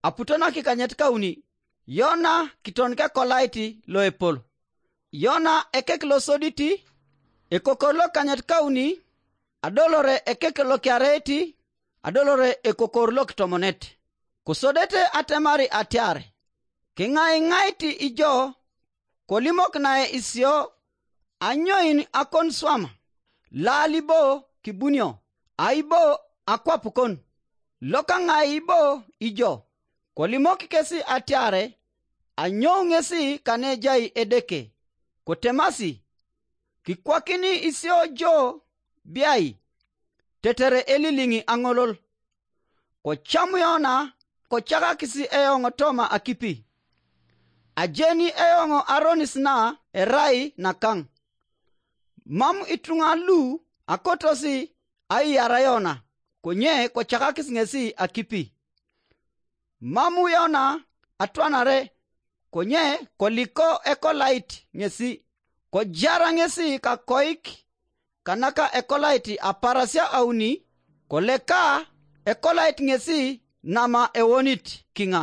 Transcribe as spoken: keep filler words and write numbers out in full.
Aputo nakikanyet kauni, Yona kiton kekolait loepol. Yona ekek losodit, ekokor lokanyet kauni, adolore ekek lokiareit, adolore ekokor lokitomonet. Kosodete atemari atiar, kiŋaiŋait ijo, kolimok nae isio, anyoin akon swam, laal ibo kibunio, aibo akwapukon, lokaŋai ibo ijo, kolimok kesi atiare, anyou ŋesi kanejai Edeke, kotemasi, kikwakini isio jo biai, tetere eliliŋ aŋolol. Kocamu Yona, kocakakis eoŋ toma akipi. Ajeni eoŋ aronis na erai nakaŋ. Mam ituŋa lu akotosi aiyara Yona, konye kocakakis ŋesi akipi. Mam Yona atwanare, konye koliko ekolait ŋesi, kojara ŋesi kakoik kanaka ekolait aparasia auni, koleka ekolait ŋesi nama ewonit kiŋa.